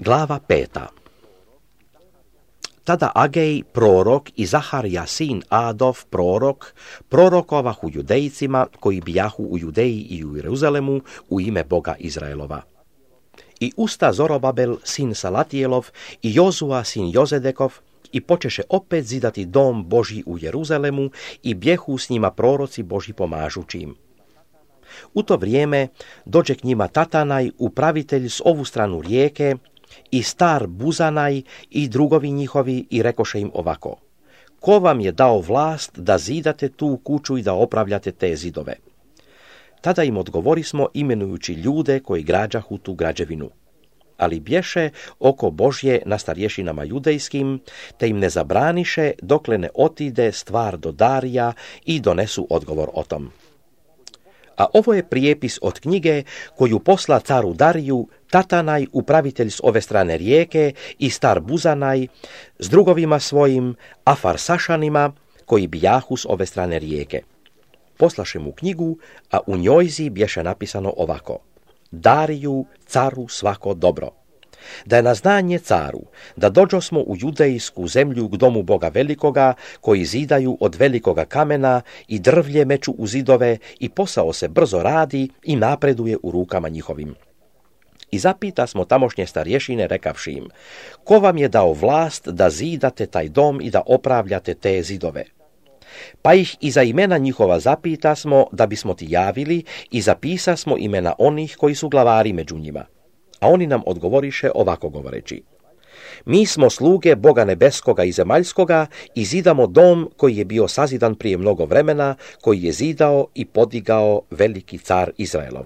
Glava 5. Tada Agej, prorok, i Zacharija, sin Adov, prorok, prorokovahu judejcima koji bijahu u Judeji i u Jeruzalemu u ime Boga Izraelova. I usta Zorobabel, sin Salatijelov, i Jozua, sin Jozedekov, i počeše opet zidati dom Božji u Jeruzalemu i bjehu s njima proroci Božji pomažući im. U to vrijeme dođe k njima Tatanaj, upravitelj s ovu stranu rijeke, i star Buzanaj i drugovi njihovi, i rekoše im ovako: ko vam je dao vlast da zidate tu kuću i da opravljate te zidove? Tada im odgovorismo imenujući ljude koji građahu tu građevinu. Ali bješe oko Božje na starješinama judejskim, te im ne zabraniše dokle ne otide stvar do Darija i donesu odgovor o tom. A ovo je prijepis od knjige koju posla caru Dariju Tatanaj, upravitelj s ove strane rijeke, i star Buzanaj s drugovima svojim, Afarsašanima, koji bijahu s ove strane rijeke. Poslaše mu knjigu, a u njojzi bješe napisano ovako: Dariju, caru, svako dobro. Da je na znanje caru, da dođosmo u judejsku zemlju k domu Boga velikoga, koji zidaju od velikoga kamena i drvlje meču u zidove, i posao se brzo radi i napreduje u rukama njihovim. I zapita smo tamošnje starješine rekavši im: ko vam je dao vlast da zidate taj dom i da opravljate te zidove? Pa ih i za imena njihova zapita smo, da bismo ti javili, i zapisa smo imena onih koji su glavari među njima. A oni nam odgovoriše ovako govoreći: mi smo sluge Boga nebeskoga i zemaljskoga i zidamo dom koji je bio sazidan prije mnogo vremena, koji je zidao i podigao veliki car Izraelov.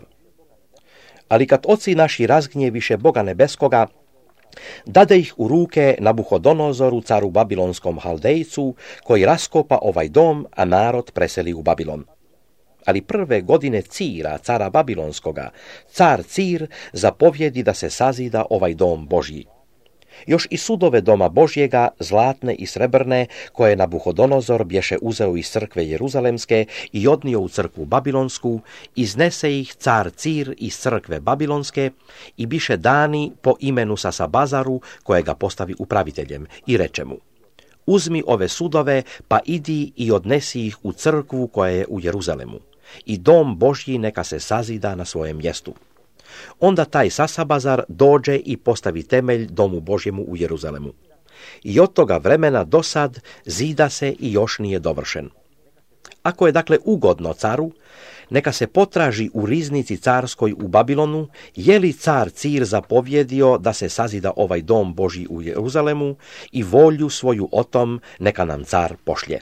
Ali kad oci naši razgnjeviše Boga nebeskoga, dade ih u ruke Nabuhodonozoru, caru babilonskom Haldejcu, koji raskopa ovaj dom, a narod preseli u Babilon. Ali prve godine Cira, cara babilonskoga, car Cir zapovjedi da se sazida ovaj dom Božji. Još i sudove doma Božjega, zlatne i srebrne, koje Nabuhodonozor bješe uzeo iz crkve Jeruzalemske i odnio u crkvu babilonsku, iznese ih car Cir iz crkve babilonske i biše dani po imenu Sasabazaru, kojega postavi upraviteljem, i reče mu: uzmi ove sudove, pa idi i odnesi ih u crkvu koja je u Jeruzalemu, i dom Božji neka se sazida na svojem mjestu. Onda taj Sasabazar dođe i postavi temelj domu Božjemu u Jeruzalemu. I od toga vremena do sad zida se i još nije dovršen. Ako je dakle ugodno caru, neka se potraži u riznici carskoj u Babilonu, je li car Cir zapovjedio da se sazida ovaj dom Božji u Jeruzalemu, i volju svoju o tom neka nam car pošlje.